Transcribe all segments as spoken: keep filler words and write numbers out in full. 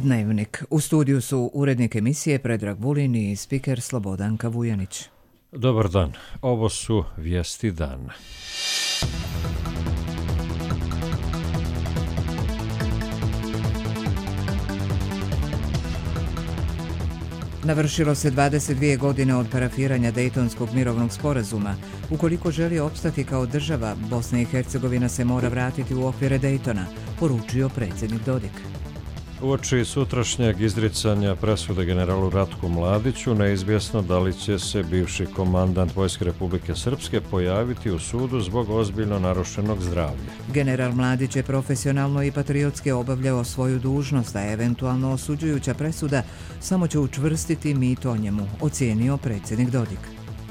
Dnevnik. U studiju su urednik emisije Predrag Vulin i spiker Slobodanka Vujanić. Dobar dan. Ovo su vijesti dana. Navršilo se dvadeset dvije godine od parafiranja Dejtonskog mirovnog sporazuma. Ukoliko želi opstati kao država, Bosna i Hercegovina se mora vratiti u okvire Dejtona, poručio predsjednik Dodik. Uoči sutrašnjeg izricanja presude generalu Ratku Mladiću, neizvjesno da li će se bivši komandant Vojske Republike Srpske pojaviti u sudu zbog ozbiljno narušenog zdravlja. General Mladić je profesionalno i patriotski obavljao svoju dužnost, a eventualno osuđujuća presuda samo će učvrstiti mit o njemu, ocijenio predsjednik Dodik.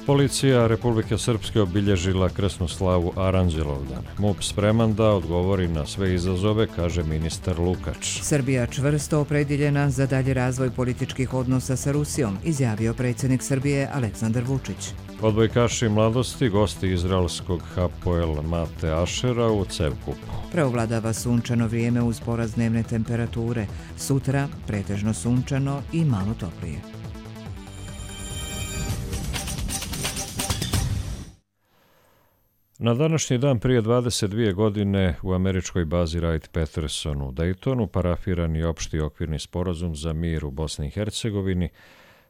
Policija Republike Srpske obilježila krsnu slavu Aranđelovdan. MUP spreman da odgovori na sve izazove, kaže ministar Lukač. Srbija čvrsto opredjeljena za dalji razvoj političkih odnosa sa Rusijom, izjavio predsjednik Srbije Aleksandar Vučić. Odbojkaši mladosti, gosti izraelskog Hapoel Mate Ašera u Cevkupu. Preovladava sunčano vrijeme uz porast dnevne temperature. Sutra pretežno sunčano i malo toplije. Na današnji dan prije dvadeset dvije godine u američkoj bazi Wright-Patterson u Daytonu parafiran je opšti okvirni sporazum za mir u Bosni i Hercegovini,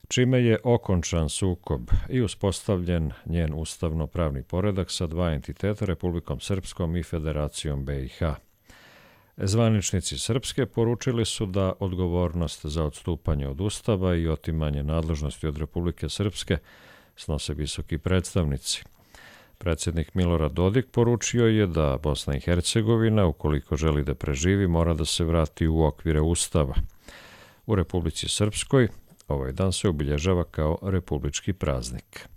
čime je okončan sukob i uspostavljen njen ustavno-pravni poredak sa dva entiteta, Republikom Srpskom i Federacijom B i H. Zvaničnici Srpske poručili su da odgovornost za odstupanje od Ustava i otimanje nadležnosti od Republike Srpske snose visoki predstavnici. Predsjednik Milorad Dodik poručio je da Bosna i Hercegovina, ukoliko želi da preživi, mora da se vrati u okvire Ustava. U Republici Srpskoj ovaj dan se obilježava kao republički praznik.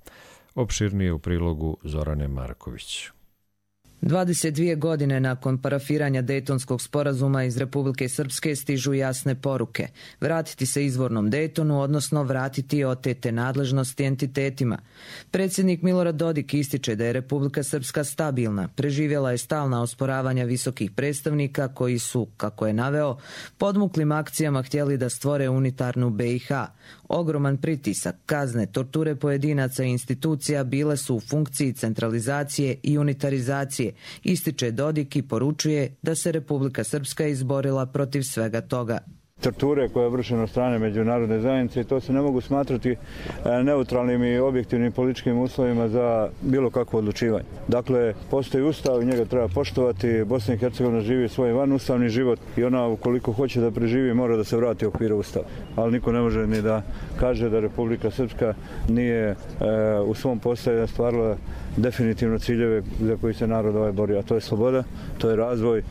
Opširnije u prilogu Zorane Marković. dvadeset dvije godine nakon parafiranja Dejtonskog sporazuma iz Republike Srpske stižu jasne poruke. Vratiti se izvornom Dejtonu, odnosno vratiti otete nadležnosti entitetima. Predsjednik Milorad Dodik ističe da je Republika Srpska stabilna, preživjela je stalna osporavanja visokih predstavnika koji su, kako je naveo, podmuklim akcijama htjeli da stvore unitarnu B i H. Ogroman pritisak, kazne, torture pojedinaca i institucija bile su u funkciji centralizacije i unitarizacije, ističe Dodik i poručuje da se Republika Srpska izborila protiv svega toga. Torture koje je vršeno od strane međunarodne zajednice i to se ne mogu smatrati neutralnim i objektivnim političkim uslovima za bilo kakvo odlučivanje. Dakle, postoji ustav i njega treba poštovati. Bosna i Hercegovina živi svoj vanustavni život i ona ukoliko hoće da preživi mora da se vrati u okvire ustava. Ali niko ne može ni da kaže da Republika Srpska nije e, u svom postojanju stvarila definitivno ciljeve za koji se narod ovaj bori. A to je sloboda, to je razvoj, e,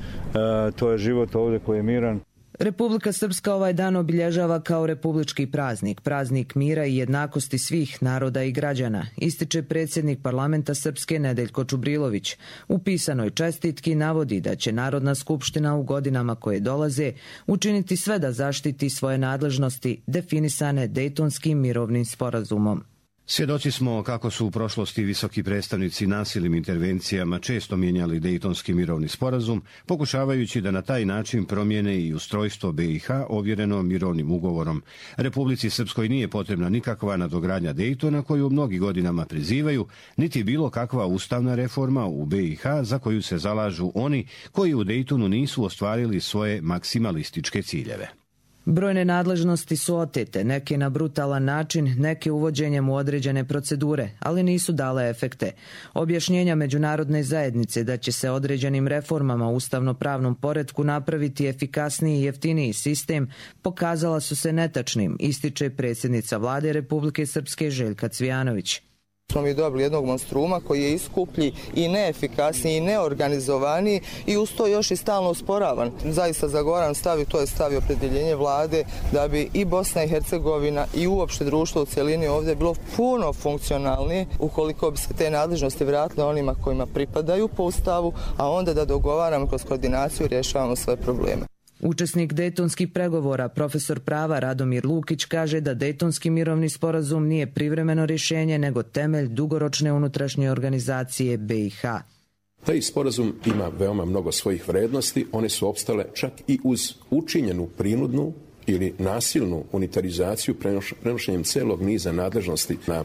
to je život ovdje koji je miran. Republika Srpska ovaj dan obilježava kao republički praznik, praznik mira i jednakosti svih naroda i građana, ističe predsjednik parlamenta Srpske Nedeljko Čubrilović. U pisanoj čestitki navodi da će Narodna skupština u godinama koje dolaze učiniti sve da zaštiti svoje nadležnosti definisane Dejtonskim mirovnim sporazumom. Svjedoci smo kako su u prošlosti visoki predstavnici nasilnim intervencijama često mijenjali Dejtonski mirovni sporazum, pokušavajući da na taj način promijene i ustrojstvo B i H ovjereno mirovnim ugovorom. Republici Srpskoj nije potrebna nikakva nadogradnja Dejtona koju mnogi godinama prizivaju, niti bilo kakva ustavna reforma u B i H za koju se zalažu oni koji u Dejtonu nisu ostvarili svoje maksimalističke ciljeve. Brojne nadležnosti su otete, neke na brutalan način, neke uvođenjem u određene procedure, ali nisu dale efekte. Objašnjenja međunarodne zajednice da će se određenim reformama u ustavno-pravnom poretku napraviti efikasniji i jeftiniji sistem pokazala su se netačnim, ističe predsjednica vlade Republike Srpske Željka Cvijanović. Smo mi dobili jednog monstruma koji je iskuplji i neefikasniji i neorganizovaniji i uz to još i stalno usporavan. Zaista zagovaram stav i to je stav i opredjeljenje vlade da bi i Bosna i Hercegovina i uopšte društvo u cjelini ovdje bilo puno funkcionalnije ukoliko bi se te nadležnosti vratile onima kojima pripadaju po ustavu, a onda da dogovaramo kroz koordinaciju i rješavamo sve probleme. Učesnik Dejtonskih pregovora, profesor prava Radomir Lukić, kaže da Dejtonski mirovni sporazum nije privremeno rješenje, nego temelj dugoročne unutrašnje organizacije B i H. Taj sporazum ima veoma mnogo svojih vrednosti, one su opstale čak i uz učinjenu prinudnu ili nasilnu unitarizaciju prenošenjem celog niza nadležnosti na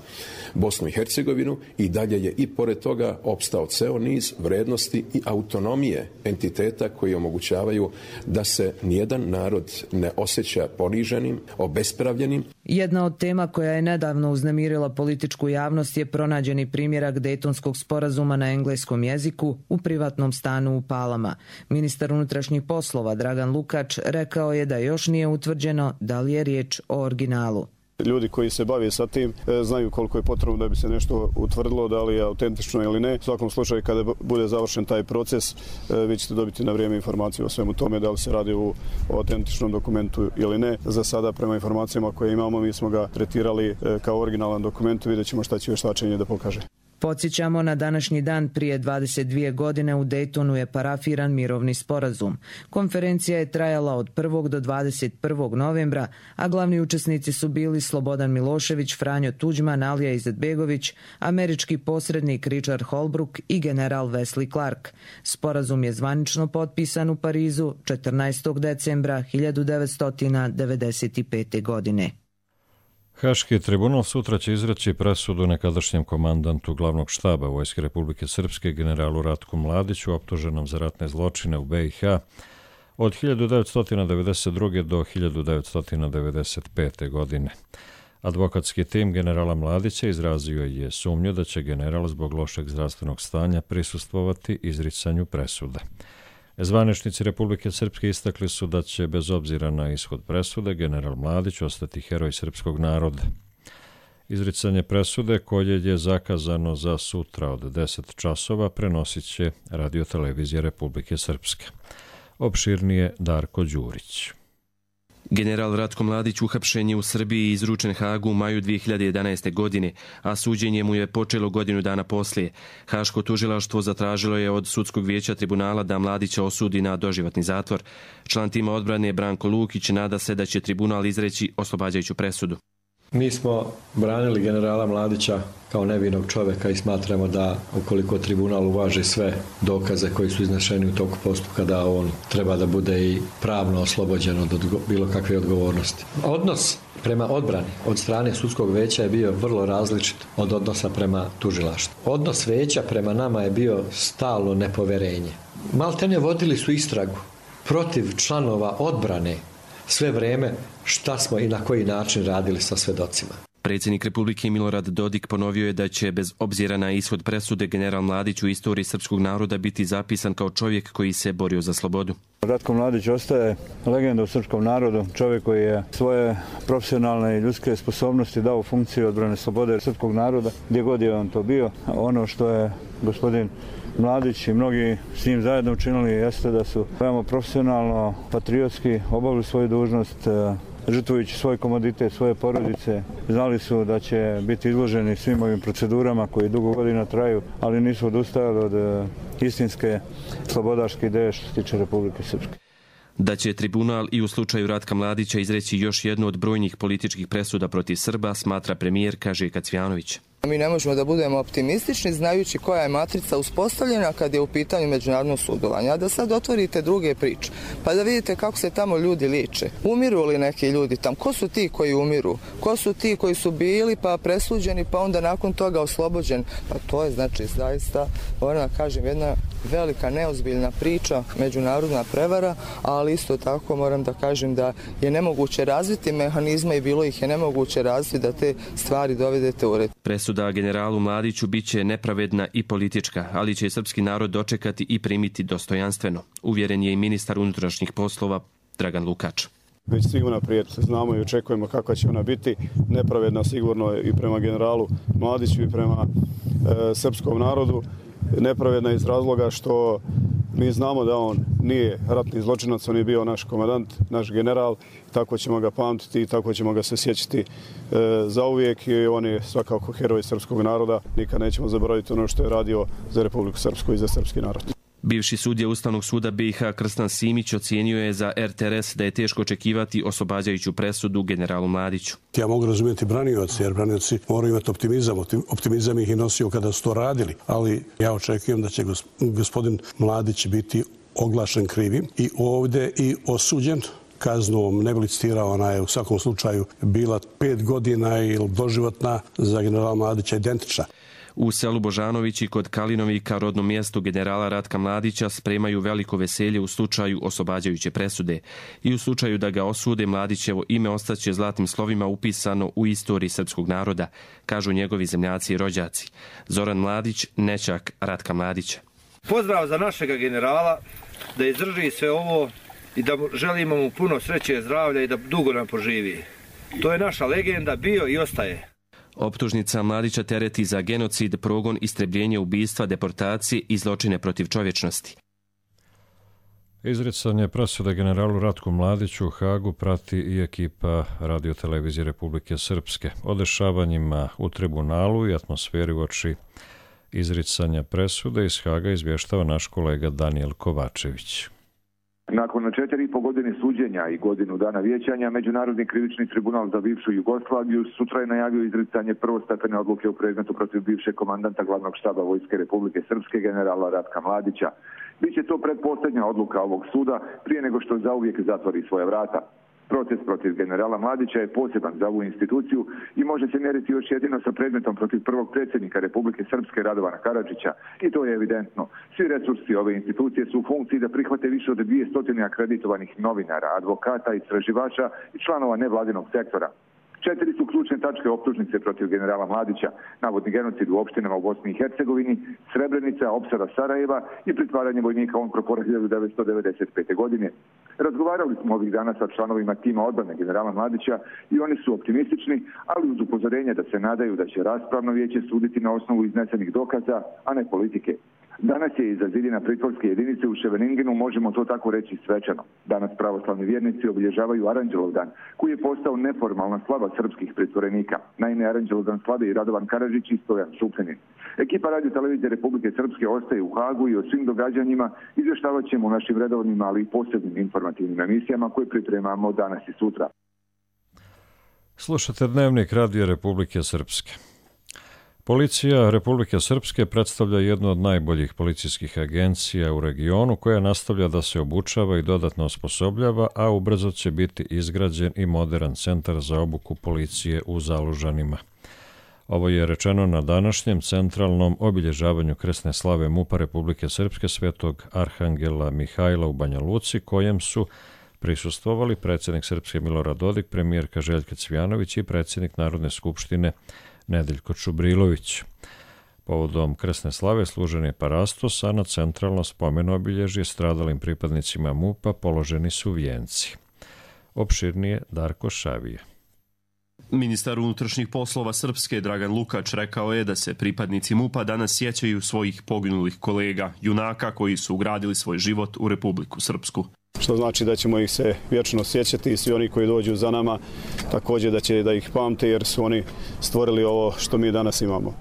Bosnu i Hercegovinu i dalje je i pored toga opstao ceo niz vrednosti i autonomije entiteta koji omogućavaju da se nijedan narod ne osjeća poniženim, obespravljenim. Jedna od tema koja je nedavno uznemirila političku javnost je pronađeni primjerak Dejtonskog sporazuma na engleskom jeziku u privatnom stanu u Palama. Ministar unutrašnjih poslova Dragan Lukač rekao je da još nije utvrđeno da li je riječ o originalu. Ljudi koji se bave sa tim znaju koliko je potrebno da bi se nešto utvrdilo, da li je autentično ili ne. U svakom slučaju, kada bude završen taj proces, vi ćete dobiti na vrijeme informaciju o svemu tome, da li se radi o autentičnom dokumentu ili ne. Za sada, prema informacijama koje imamo, mi smo ga tretirali kao originalan dokument, vidjet ćemo šta će vještačenje da pokaže. Podsjećamo, na današnji dan prije dvadeset dvije godine u Dejtonu je parafiran mirovni sporazum. Konferencija je trajala od prvog do dvadeset prvog novembra, a glavni učesnici su bili Slobodan Milošević, Franjo Tuđman, Alija Izetbegović, američki posrednik Richard Holbrooke i general Wesley Clark. Sporazum je zvanično potpisan u Parizu četrnaestog decembra hiljadu devetsto devedeset pete. godine. Haški tribunal sutra će izreći presudu nekadašnjem komandantu glavnog štaba Vojske Republike Srpske generalu Ratku Mladiću optuženom za ratne zločine u be i ha od hiljadu devetsto devedeset druge. do hiljadu devetsto devedeset pete. godine. Advokatski tim generala Mladića izrazio je sumnju da će general zbog lošeg zdravstvenog stanja prisustvovati izricanju presude. Zvaničnici Republike Srpske istakli su da će, bez obzira na ishod presude, general Mladić ostati heroj srpskog naroda. Izricanje presude, koje je zakazano za sutra od deset časova, prenosit će radiotelevizija Republike Srpske. Opširnije Darko Đurić. General Ratko Mladić uhapšen je u Srbiji i izručen Hagu u maju dvije hiljade jedanaeste. godine, a suđenje mu je počelo godinu dana poslije. Haško tužilaštvo zatražilo je od sudskog vijeća tribunala da Mladića osudi na doživotni zatvor. Član tima odbrane Branko Lukić nada se da će tribunal izreći oslobađajuću presudu. Mi smo branili generala Mladića kao nevinog čovjeka i smatramo da ukoliko tribunal uvaži sve dokaze koji su iznešeni u toku postupka, da on treba da bude i pravno oslobođen od bilo kakve odgovornosti. Odnos prema odbrani od strane sudskog veća je bio vrlo različit od odnosa prema tužilaštvu. Odnos veća prema nama je bio stalno nepoverenje. Maltene vodili su istragu protiv članova odbrane sve vrijeme šta smo i na koji način radili sa svedocima. Predsjednik Republike Milorad Dodik ponovio je da će, bez obzira na ishod presude, general Mladić u istoriji srpskog naroda biti zapisan kao čovjek koji se borio za slobodu. Ratko Mladić ostaje legenda u srpskom narodu, čovjek koji je svoje profesionalne i ljudske sposobnosti dao u funkciju odbrane slobode srpskog naroda, gdje god je on to bio. Ono što je gospodin Mladić i mnogi s njim zajedno učinili jeste da su veoma profesionalno, patriotski obavili svoju dužnost, žrtvujući svoj komoditet, svoje porodice. Znali su da će biti izloženi svim ovim procedurama koji dugo godina traju, ali nisu odustajali od istinske slobodarske ideje što se tiče Republike Srpske. Da će tribunal i u slučaju Ratka Mladića izreći još jednu od brojnih političkih presuda protiv Srba, smatra premijerka Željka Cvijanović. Mi ne možemo da budemo optimistični znajući koja je matrica uspostavljena kad je u pitanju međunarodno sudovanje. A da sad otvorite druge priče, pa da vidite kako se tamo ljudi liče. Umiru li neki ljudi tam? Ko su ti koji umiru? Ko su ti koji su bili pa presuđeni pa onda nakon toga oslobođeni? Pa to je znači zaista, moram da kažem, jedna velika neozbiljna priča, međunarodna prevara, ali isto tako moram da kažem da je nemoguće razviti mehanizme i bilo ih je nemoguće razviti da te stvari dovedete u red. Presuda generalu Mladiću biće nepravedna i politička, ali će srpski narod dočekati i primiti dostojanstveno, uvjeren je i ministar unutrašnjih poslova Dragan Lukač. Već svi unaprijed znamo i očekujemo kakva će ona biti, nepravedna sigurno i prema generalu Mladiću i prema e, srpskom narodu. Nepravedna iz razloga što mi znamo da on nije ratni zločinac, on je bio naš komandant, naš general, tako ćemo ga pamtiti i tako ćemo ga se sjećati e, zauvijek i on je svakako heroj srpskog naroda. Nikad nećemo zaboraviti ono što je radio za Republiku Srpsku i za srpski narod. Bivši sudija Ustavnog suda be i ha Krstan Simić ocijenio je za er te er es da je teško očekivati oslobađajuću presudu generalu Mladiću. Ja mogu razumjeti branioci, jer branioci moraju imati optimizam. Optimizam ih i nosio kada su to radili, ali ja očekujem da će gospodin Mladić biti oglašen krivim i ovdje i osuđen kaznom, ne bi licitirao, ona je u svakom slučaju bila pet godina ili doživotna, za generala Mladića identična. U selu Božanovići kod Kalinovika, rodnom mjestu generala Ratka Mladića, spremaju veliko veselje u slučaju oslobađajuće presude. I u slučaju da ga osude, Mladićevo ime ostaće zlatnim slovima upisano u istoriji srpskog naroda, kažu njegovi zemljaci i rođaci. Zoran Mladić, nećak Ratka Mladića. Pozdrav za našega generala, da izdrži sve ovo i da želimo mu puno sreće, zdravlja i da dugo nam poživi. To je naša legenda, bio i ostaje. Optužnica Mladića tereti za genocid, progon, istrebljenje, ubistva, deportacije i zločine protiv čovječnosti. Izricanje presude generalu Ratku Mladiću u Hagu prati i ekipa radiotelevizije Republike Srpske. O dešavanjima u tribunalu i atmosferi uoči izricanja presude iz Haga izvještava naš kolega Daniel Kovačević. Nakon četiri i po godine suđenja i godinu dana vijećanja, Međunarodni krivični tribunal za bivšu Jugoslaviju sutra je najavio izricanje prvostepene odluke u predmetu protiv bivšeg komandanta glavnog štaba Vojske Republike Srpske generala Ratka Mladića. Biće to predposljednja odluka ovog suda prije nego što zauvijek zatvori svoja vrata. Proces protiv generala Mladića je poseban za ovu instituciju i može se mjeriti još jedino sa predmetom protiv prvog predsjednika Republike Srpske Radovana Karadžića. I to je evidentno. Svi resursi ove institucije su u funkciji da prihvate više od dvije stotine akreditovanih novinara, advokata, istraživača i članova nevladinog sektora. Četiri su ključne tačke optužnice protiv generala Mladića: navodni genocid u opštinama u Bosni i Hercegovini, Srebrenica, opsada Sarajeva i pritvaranje vojnika UNPROFOR-a hiljadu devetsto devedeset pete. godine. Razgovarali smo ovih dana sa članovima tima odbrane generala Mladića i oni su optimistični, ali uz upozorenje da se nadaju da će raspravno vijeće suditi na osnovu iznesenih dokaza, a ne politike. Danas je iza zidina pritvorske jedinice u Ševeningenu, možemo to tako reći, svečano. Danas pravoslavni vjernici obilježavaju Aranđelov dan, koji je postao neformalna slava srpskih pritvorenika. Naime, Aranđelov dan slave i Radovan Karadžić i Stojan Šupljanin. Ekipa Radio televizije Republike Srpske ostaje u Hagu i o svim događanjima izvještavat ćemo u našim redovnim, ali i posebnim informativnim emisijama koje pripremamo danas i sutra. Slušate Dnevnik Radio Republike Srpske. Policija Republike Srpske predstavlja jednu od najboljih policijskih agencija u regionu, koja nastavlja da se obučava i dodatno osposobljava, a ubrzo će biti izgrađen i modern centar za obuku policije u Zalužanima. Ovo je rečeno na današnjem centralnom obilježavanju krsne slave MUP-a Republike Srpske Svetog Arhangela Mihajla u Banja Luci, kojem su prisustvovali predsjednik Srpske Milorad Dodik, premijerka Željka Cvijanović i predsjednik Narodne skupštine Nedeljko Čubrilović. Povodom krsne slave služen je parastos, a na centralno spomen obilježje stradalim pripadnicima MUP-a položeni su vijenci. Opširnije Darko Šavije. Ministar unutrašnjih poslova Srpske Dragan Lukač rekao je da se pripadnici MUP-a danas sjećaju svojih poginulih kolega, junaka koji su ugradili svoj život u Republiku Srpsku. Što znači da ćemo ih se vječno sjećati i svi oni koji dođu za nama također da će da ih pamte, jer su oni stvorili ovo što mi danas imamo.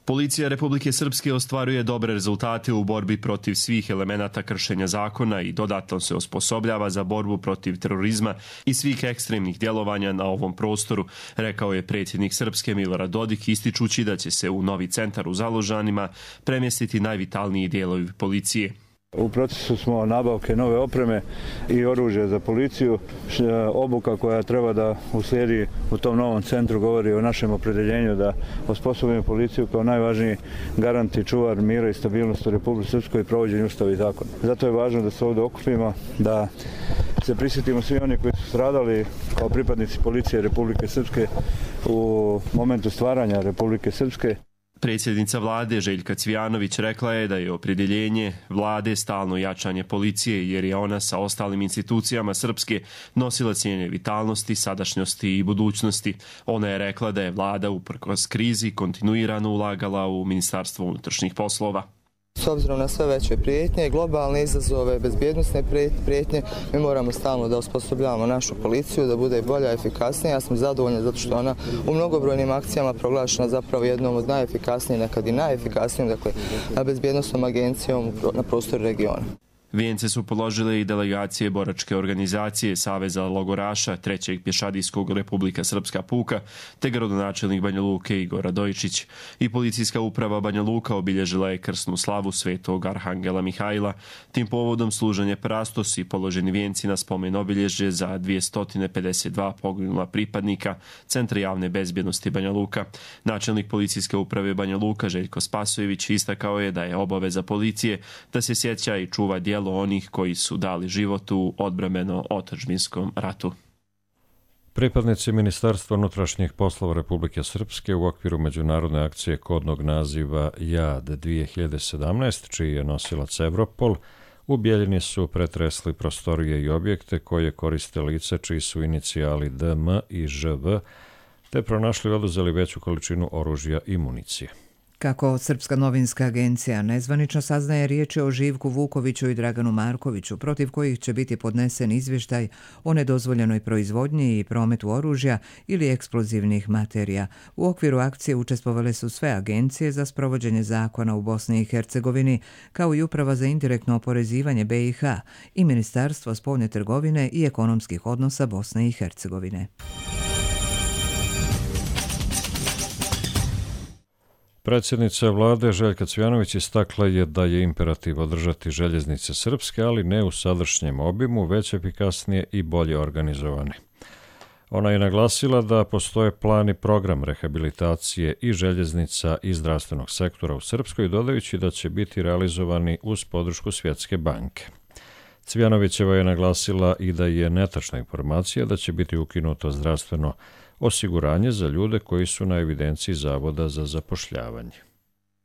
Policija Republike Srpske ostvaruje dobre rezultate u borbi protiv svih elemenata kršenja zakona i dodatno se osposobljava za borbu protiv terorizma i svih ekstremnih djelovanja na ovom prostoru, rekao je predsjednik Srpske Milorad Dodik, ističući da će se u novi centar u Zalužanima premjestiti najvitalniji dijelovi policije. U procesu smo nabavke nove opreme i oružja za policiju. Obuka koja treba da uslijedi u tom novom centru govori o našem opredjeljenju da osposobimo policiju kao najvažniji garant i čuvar mira i stabilnosti u Republici Srpskoj i provođenju ustava i zakona. Zato je važno da se ovdje okupimo, da se prisjetimo svi oni koji su stradali kao pripadnici policije Republike Srpske u momentu stvaranja Republike Srpske. Predsjednica vlade Željka Cvijanović rekla je da je opredjeljenje vlade stalno jačanje policije, jer je ona sa ostalim institucijama Srpske nosila cijene vitalnosti, sadašnjosti i budućnosti. Ona je rekla da je vlada uprkos krizi kontinuirano ulagala u Ministarstvo unutrašnjih poslova. S obzirom na sve veće prijetnje, globalne izazove, bezbjednosne prijetnje, mi moramo stalno da osposobljavamo našu policiju, da bude bolja, efikasnija. Ja sam zadovoljna zato što ona u mnogobrojnim akcijama proglašena zapravo jednom od najefikasnijih, nekad i najefikasnijom, dakle, bezbjednostnom agencijom na prostoru regiona. Vijence su položile i delegacije boračke organizacije Saveza logoraša trećeg pješadijskog Republika Srpska puka, te gradonačelnik Banja Luke Igor Radojičić. I policijska uprava Banja Luka obilježila je krsnu slavu svetog Arhangela Mihajla. Tim povodom služen je parastos i položeni vijenci na spomen obilježje za dvjesto pedeset dva poginula pripadnika Centra javne bezbjednosti Banja Luka. Načelnik policijske uprave Banja Luka Željko Spasojević istakao je da je obaveza policije da se sjeća i čuva djelo onih koji su dali život u odbrambeno-otadžbinskom ratu. Pripadnici Ministarstva unutrašnjih poslova Republike Srpske u okviru međunarodne akcije kodnog naziva JAD dvije hiljade sedamnaest, čiji je nosilac Evropol, u Bijeljini su pretresli prostorije i objekte koje koriste lice čiji su inicijali D M i Ž V, te pronašli i oduzeli veću količinu oružja i municije. Kako Srpska novinska agencija nezvanično saznaje, riječ je o Živku Vukoviću i Draganu Markoviću, protiv kojih će biti podnesen izvještaj o nedozvoljenoj proizvodnji i prometu oružja ili eksplozivnih materija. U okviru akcije učestvovale su sve agencije za sprovođenje zakona u Bosni i Hercegovini, kao i Uprava za indirektno oporezivanje B i H i Ministarstvo spoljne trgovine i ekonomskih odnosa Bosne i Hercegovine. Predsjednica vlade Željka Cvjanović istakla je da je imperativ održati željeznice srpske, ali ne u sadašnjem obimu, već efikasnije i bolje organizovane. Ona je naglasila da postoje plan i program rehabilitacije i željeznica i zdravstvenog sektora u Srpskoj, dodajući da će biti realizovani uz podršku Svjetske banke. Cvjanovićeva je naglasila i da je netačna informacija da će biti ukinuto zdravstveno osiguranje za ljude koji su na evidenciji Zavoda za zapošljavanje.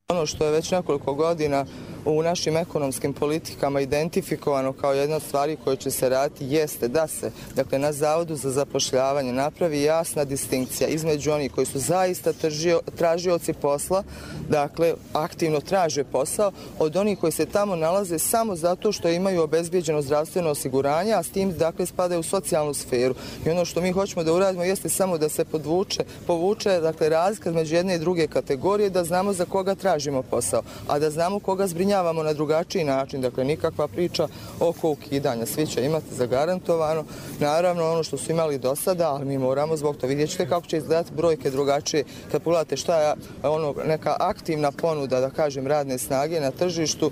Ono što je već nekoliko godina u našim ekonomskim politikama identifikovano kao jedna od stvari koje će se raditi jeste da se, dakle, na Zavodu za zapošljavanje napravi jasna distinkcija između onih koji su zaista tržio, tražioci posla, dakle aktivno traže posao, od onih koji se tamo nalaze samo zato što imaju obezbijeđeno zdravstveno osiguranje, a s tim, dakle, spadaju u socijalnu sferu. I ono što mi hoćemo da uradimo jeste samo da se podvuče, povuče, dakle, razlika između jedne i druge kategorije, da znamo za koga tražimo tražimo posao, a da znamo koga zbrinjavamo na drugačiji način, dakle nikakva priča oko ukidanja, svi će imati zagarantovano, naravno ono što su imali do sada, ali mi moramo zbog to vidjet ćete kako će izgledati brojke drugačije, kad pogledate šta je ono, neka aktivna ponuda, da kažem, radne snage na tržištu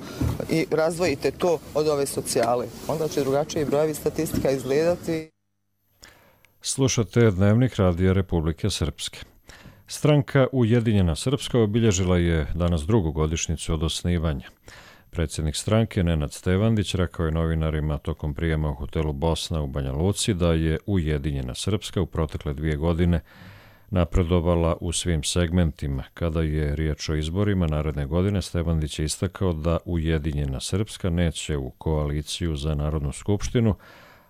i razdvojite to od ove socijale, onda će drugačije brojevi statistika izgledati. Slušate Dnevnik Radija Republike Srpske. Stranka Ujedinjena Srpska obilježila je danas drugu godišnjicu od osnivanja. Predsjednik stranke Nenad Stevandić rekao je novinarima tokom prijema u hotelu Bosna u Banja Luci da je Ujedinjena Srpska u protekle dvije godine napredovala u svim segmentima. Kada je riječ o izborima naredne godine, Stevandić je istakao da Ujedinjena Srpska neće u koaliciju za Narodnu skupštinu,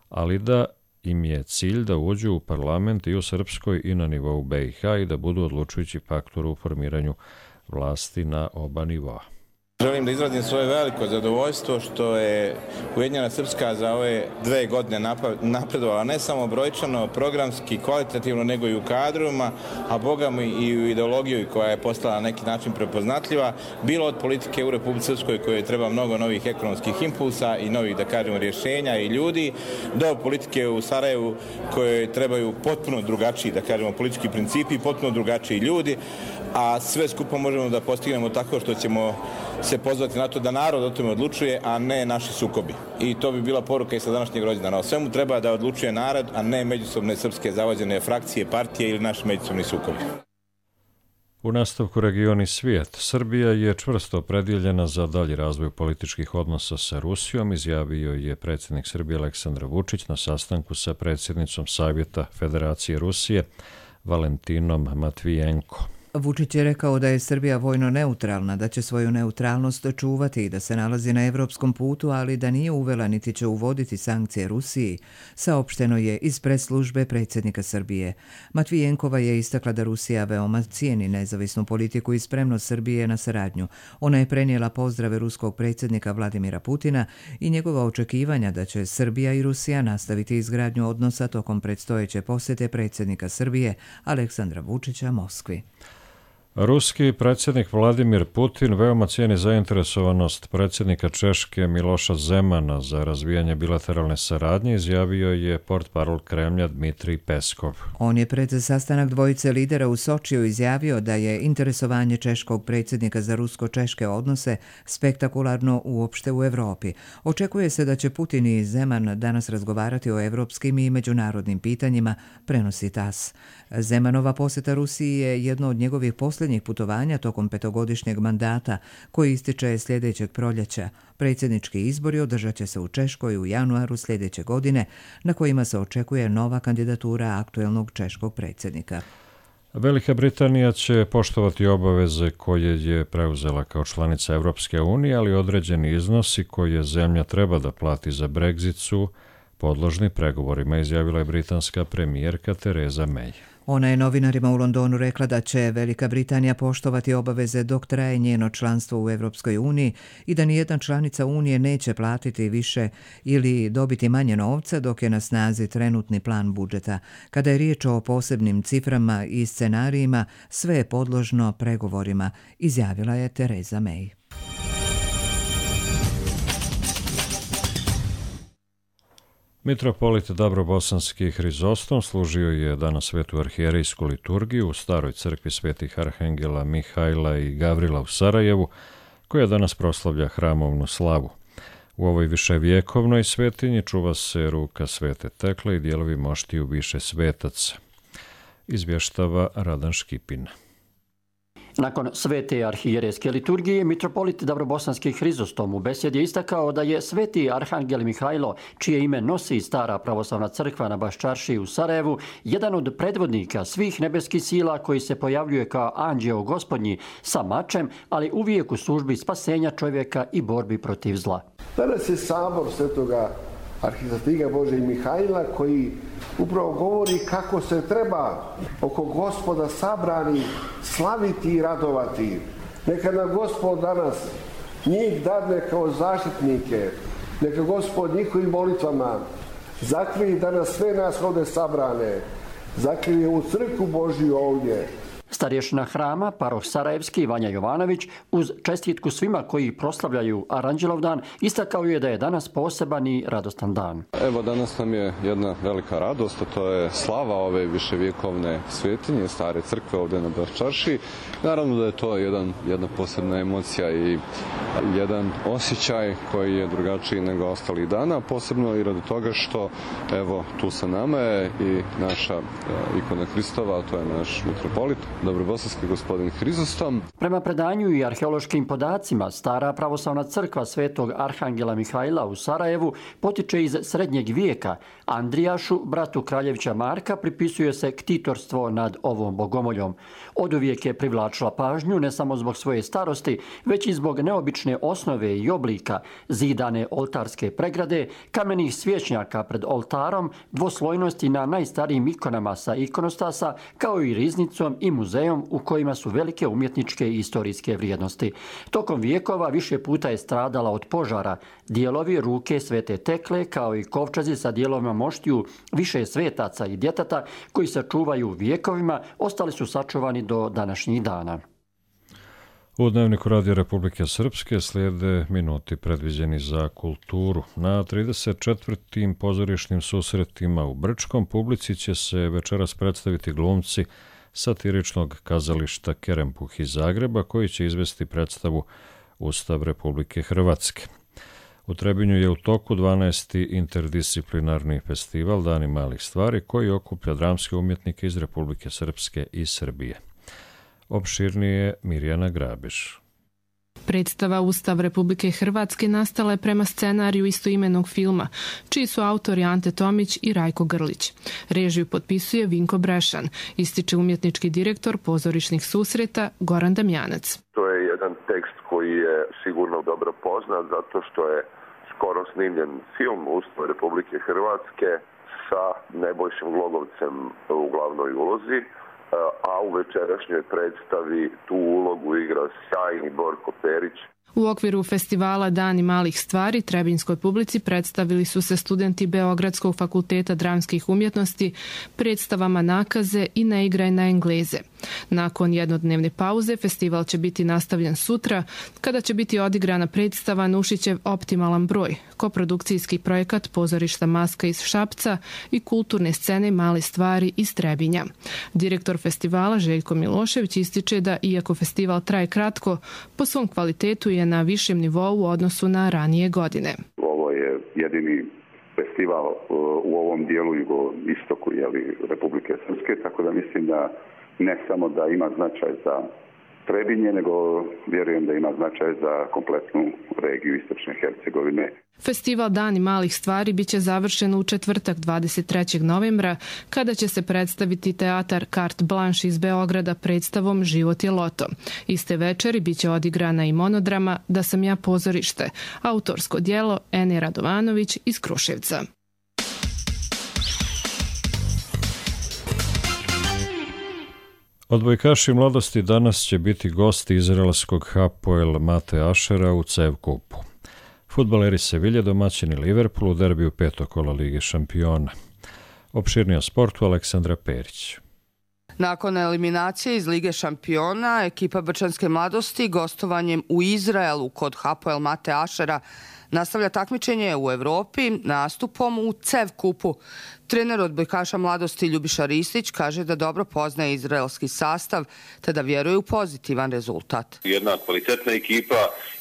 ali da im je cilj da uđu u parlament i u Srpskoj i na nivou B i H i da budu odlučujući faktor u formiranju vlasti na oba nivoa. Želim da izrazim svoje veliko zadovoljstvo što je Ujedinjena Srpska za ove dve godine napredovala ne samo brojčano, programski, kvalitativno, nego i u kadrovima, a bogami i u ideologiju koja je postala na neki način prepoznatljiva, bilo od politike u Republici Srpskoj kojoj treba mnogo novih ekonomskih impulsa i novih, da kažemo, rješenja i ljudi, do politike u Sarajevu kojoj trebaju potpuno drugačiji, da kažemo, politički principi i potpuno drugačiji ljudi, a sve skupo možemo da postignemo tako što ćemo se pozvati na to da narod o tome odlučuje, a ne naši sukobi. I to bi bila poruka i sa današnjeg rođendana. O svemu treba da odlučuje narod, a ne međusobne srpske zavođene frakcije, partije ili naši međusobni sukobi. U nastavku region i svijet, Srbija je čvrsto opredjeljena za dalji razvoj političkih odnosa sa Rusijom, izjavio je predsjednik Srbije Aleksandar Vučić na sastanku sa predsjednicom Savjeta Federacije Rusije Valentinom Matvijenko. Vučić je rekao da je Srbija vojno neutralna, da će svoju neutralnost čuvati i da se nalazi na evropskom putu, ali da nije uvela niti će uvoditi sankcije Rusiji, saopšteno je iz press-službe predsjednika Srbije. Matvijenkova je istakla da Rusija veoma cijeni nezavisnu politiku i spremnost Srbije na saradnju. Ona je prenijela pozdrave ruskog predsjednika Vladimira Putina i njegova očekivanja da će Srbija i Rusija nastaviti izgradnju odnosa tokom predstojeće posjete predsjednika Srbije Aleksandra Vučića Moskvi. Ruski predsjednik Vladimir Putin veoma cijeni zainteresovanost predsjednika Češke Miloša Zemana za razvijanje bilateralne saradnje, izjavio je portparol Kremlja Dmitrij Peskov. On je pred sastanak dvojice lidera u Sočiju izjavio da je interesovanje češkog predsjednika za rusko-češke odnose spektakularno uopšte u Europi. Očekuje se da će Putin i Zeman danas razgovarati o evropskim i međunarodnim pitanjima, prenosi TAS. Zemanova posjeta Rusiji je jedno od njegovih posljednjih putovanja tokom petogodišnjeg mandata koji ističe sljedećeg proljeća. Predsjednički izbori održat će se u Češkoj u januaru sljedeće godine, na kojima se očekuje nova kandidatura aktuelnog češkog predsjednika. Velika Britanija će poštovati obaveze koje je preuzela kao članica Europske unije, ali određeni iznosi koje zemlja treba da plati za Brexit su podložni pregovorima, izjavila je britanska premijerka Theresa May. Ona je novinarima u Londonu rekla da će Velika Britanija poštovati obaveze dok traje njeno članstvo u Europskoj uniji i da nijedna članica Unije neće platiti više ili dobiti manje novca dok je na snazi trenutni plan budžeta. Kada je riječ o posebnim ciframa i scenarijima, sve je podložno pregovorima, izjavila je Theresa May. Mitropolit Dabrobosanski Hrizostom služio je danas svetu arhijerejsku liturgiju u staroj crkvi svetih arhangela Mihajla i Gavrila u Sarajevu, koja danas proslavlja hramovnu slavu. U ovoj viševjekovnoj svetinji čuva se ruka svete Tekle i dijelovi moštiju više svetaca. Izvještava Radan Škipin. Nakon svete arhijerejske liturgije, mitropolit Dabrobosanski Hrizostom u besjedi je istakao da je sveti arhangel Mihajlo, čije ime nosi stara pravoslavna crkva na Baščaršiji u Sarajevu, jedan od predvodnika svih nebeskih sila koji se pojavljuje kao anđeo gospodnji sa mačem, ali uvijek u službi spasenja čovjeka i borbi protiv zla. Danas je sabor svetoga arhistrastiga Božeg Mihajla koji upravo govori kako se treba oko Gospoda sabrani slaviti i radovati. Neka nam Gospod danas njih dadne kao zaštitnike, neka Gospod njihovim molitvama zakrivi danas sve nas ovdje sabrane, zakrivi u crkvu Božju ovdje. Starješina hrama, paroh Sarajevski Vanja Jovanović, uz čestitku svima koji proslavljaju Aranđelov dan, istakao je da je danas poseban i radostan dan. Evo, danas nam je jedna velika radost, a to je slava ove viševjekovne svetinje, stare crkve ovdje na Baščaršiji. Naravno da je to jedan, jedna posebna emocija i jedan osjećaj koji je drugačiji nego ostalih dana, posebno i radi toga što, evo, tu sa nama je i naša ikona Hristova, a to je naš mitropolit, Dabrobosanski gospodin Hrizostom. Prema predanju i arheološkim podacima, stara pravoslavna crkva svetog arhangela Mihajla u Sarajevu potiče iz srednjeg vijeka. Andrijašu, bratu kraljevića Marka, pripisuje se ktitorstvo nad ovom bogomoljom. Oduvijek je privlačila pažnju ne samo zbog svoje starosti, već i zbog neobične osnove i oblika, zidane oltarske pregrade, kamenih svječnjaka pred oltarom, dvoslojnosti na najstarijim ikonama sa ikonostasa, kao i riznicom i muzejom u kojima su velike umjetničke i historijske vrijednosti. Tokom vijekova više puta je stradala od požara. Dijelovi ruke svete Tekle, kao i kovčazi sa dijelovima moštiju više svetaca i djeteta koji se čuvaju vjekovima, ostali su sačuvani do današnjih dana. U Dnevniku Radija Republike Srpske slijede minuti predviđeni za kulturu. Na trideset četvrtim pozorišnim susretima u Brčkom publici će se večeras predstaviti glumci satiričnog kazališta Kerempuh iz Zagreba, koji će izvesti predstavu Ustav Republike Hrvatske. U Trebinju je u toku dvanaesti interdisciplinarni festival Dani malih stvari, koji okuplja dramske umjetnike iz Republike Srpske i Srbije. Opširnije Mirjana Grabiš. Predstava Ustav Republike Hrvatske nastala je prema scenariju istoimenog filma, čiji su autori Ante Tomić i Rajko Grlić. Režiju potpisuje Vinko Brešan, ističe umjetnički direktor pozorišnih susreta Goran Damjanac. To je jedan tekst koji je sigurno dobro poznat zato što je skoro snimljen film Ustav Republike Hrvatske sa Nebojšom Glogovcem u glavnoj ulozi, a u večerašnjoj predstavi tu ulogu igra sjajni Borko Perić. U okviru festivala Dani malih stvari trebinjskoj publici predstavili su se studenti Beogradskog fakulteta dramskih umjetnosti predstavama Nakaze i Ne igraj na Engleze. Nakon jednodnevne pauze festival će biti nastavljen sutra kada će biti odigrana predstava Nušićev Optimalan broj, koprodukcijski projekat Pozorišta Maska iz Šapca i kulturne scene Male stvari iz Trebinja. Direktor festivala Željko Milošević ističe da iako festival traje kratko, po svom kvalitetu je na višem nivou u odnosu na ranije godine. Ovo je jedini festival u ovom dijelu jugoistoku jeli, Republike Srpske, tako da mislim da ne samo da ima značaj za Trebinje, nego vjerujem da ima značaj za kompletnu regiju Istočne Hercegovine. Festival Dani malih stvari biće završen u četvrtak dvadeset trećeg novembra, kada će se predstaviti teatar Carte Blanche iz Beograda predstavom Život je loto. Iste večeri biće odigrana i monodrama Da sam ja pozorište, autorsko djelo Ene Radovanović iz Kruševca. Odbojkaši mladosti danas će biti gosti izraelskog Hapoel Mate Ašera u C E V kupu. Fudbaleri Sevilje domaćini Liverpoolu u derbiju petog kola Lige šampiona. Opširnije o sportu Aleksandra Perić. Nakon eliminacije iz Lige šampiona, ekipa Brčanske mladosti gostovanjem u Izraelu kod Hapoel Mate Ašera nastavlja takmičenje u Evropi nastupom u C E V kupu. Trener odbojkaša mladosti Ljubiša Ristić kaže da dobro poznaje izraelski sastav, te da vjeruje u pozitivan rezultat. Jedna kvalitetna ekipa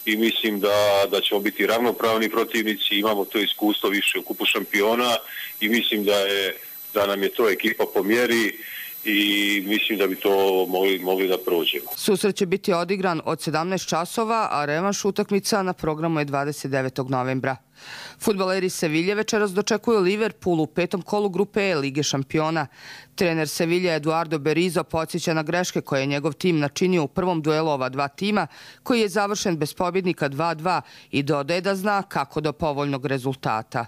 i mislim da, da ćemo biti ravnopravni protivnici. Imamo to iskustvo više u kupu šampiona i mislim da, je, da nam je to ekipa po mjeri i mislim da bi to mogli, mogli da prođemo. Susret će biti odigran od sedamnaest časova, a revanš utakmica na programu je dvadeset devetog novembra. Fudbaleri Sevilje večeras dočekuju Liverpool u petom kolu grupe E Lige šampiona. Trener Sevilje Eduardo Berizzo podsjeća na greške koje je njegov tim načinio u prvom duelu ova dva tima, koji je završen bez pobjednika dva dva i dodaje da zna kako do povoljnog rezultata.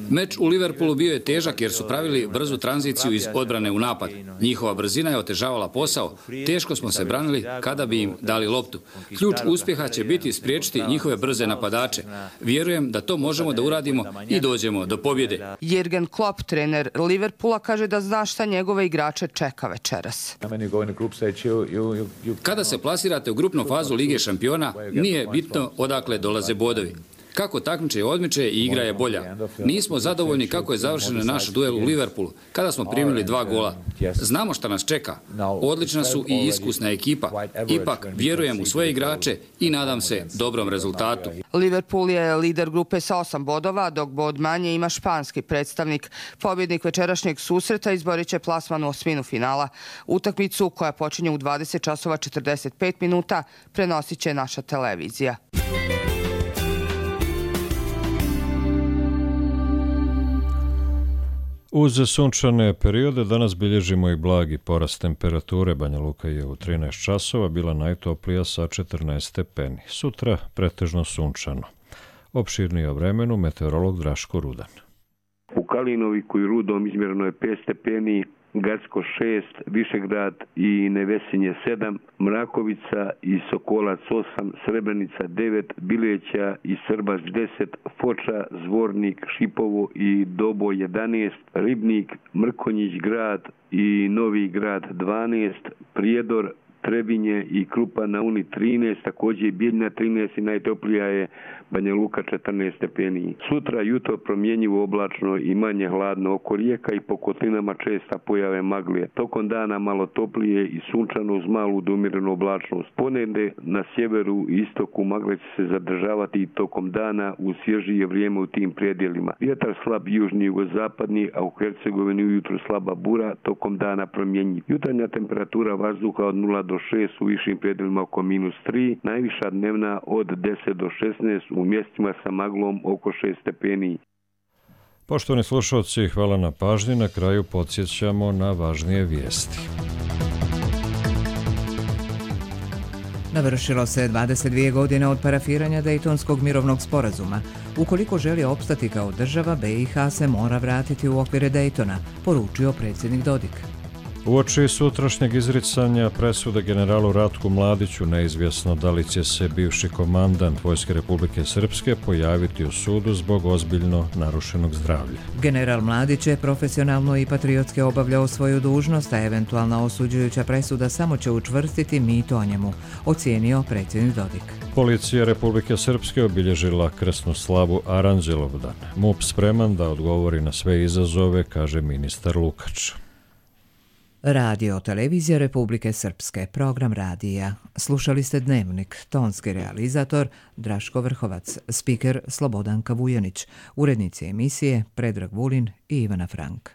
Meč u Liverpoolu bio je težak jer su pravili brzu tranziciju iz odbrane u napad. Njihova brzina je otežavala posao. Teško smo se branili kada bi im dali loptu. Ključ uspjeha će biti spriječiti njihove brze napadače. Vjerujem da to možemo da uradimo i dođemo do pobjede. Jürgen Klopp, trener Liverpoola, kaže da zna šta njegove igrače čeka večeras. Kada se plasirate u grupnu fazu Lige šampiona, nije bitno odakle dolaze bodovi. Kako takmiče odmiče i igra je bolja. Nismo zadovoljni kako je završen naš duel u Liverpoolu, kada smo primili dva gola. Znamo šta nas čeka. Odlična su i iskusna ekipa. Ipak vjerujem u svoje igrače i nadam se dobrom rezultatu. Liverpool je lider grupe sa osam bodova, dok bod manje ima španski predstavnik. Pobjednik večerašnjeg susreta izborit će plasman u osminu finala. Utakmicu koja počinje u dvadeset časova četrdeset pet minuta prenosit će naša televizija. Uz sunčane periode danas bilježimo i blagi porast temperature. Banja Luka je u trinaest časova bila najtoplija sa četrnaest stepeni. Sutra pretežno sunčano. Opširnije o vremenu meteorolog Draško Rudan. U Kalinoviku i Rudom izmjereno je pet stepeni, Gacko šest, Višegrad i Nevesinje sedam, Mrakovica i Sokolac osam, Srebrenica devet, Bileća i Srbaš deset, Foča, Zvornik, Šipovo i Dobo jedanaest, Ribnik, Mrkonjić grad i Novi grad dvanaest, Prijedor, Trebinje i Krupa na Uni trinaest, također i Bijeljina trinaest i najtoplija je Banja Luka četrnaest stepeni. Sutra jutro promjenjivo oblačno i manje hladno oko rijeka i po kotlinama česta pojave maglije. Tokom dana malo toplije i sunčano uz malu do umjerenu oblačnost. Ponegdje na sjeveru i istoku magle će se zadržavati i tokom dana uz svježije vrijeme u tim predjelima. Vjetar slab južni jugozapadni, a u Hercegovini ujutro slaba bura, tokom dana promjenjiv. Jutarnja temperatura vazduha od nula do šest, u višim predjelima oko minus tri, najviša dnevna od deset do šesnaest, u mjestima sa maglom oko šest stepeni. Poštovani slušalci, hvala na pažnji. Na kraju podsjećamo na važnije vijesti. Navršilo se dvadeset dvije godine od parafiranja Dejtonskog mirovnog sporazuma. Ukoliko želi opstati kao država, B i H se mora vratiti u okvire Dejtona, poručio predsjednik Dodik. Uoči sutrašnjeg izricanja presude generalu Ratku Mladiću neizvjesno da li će se bivši komandant Vojske Republike Srpske pojaviti u sudu zbog ozbiljno narušenog zdravlja. General Mladić je profesionalno i patriotski obavljao svoju dužnost, a eventualna osuđujuća presuda samo će učvrstiti mito o njemu, ocijenio predsjednik Dodik. Policija Republike Srpske obilježila krsnu slavu Aranđelovdan. M U P spreman da odgovori na sve izazove, kaže ministar Lukač. Radio televizija Republike Srpske, program radija. Slušali ste Dnevnik, tonski realizator Draško Vrhovac, spiker Slobodanka Vujanić, urednici emisije Predrag Vulin i Ivana Frank.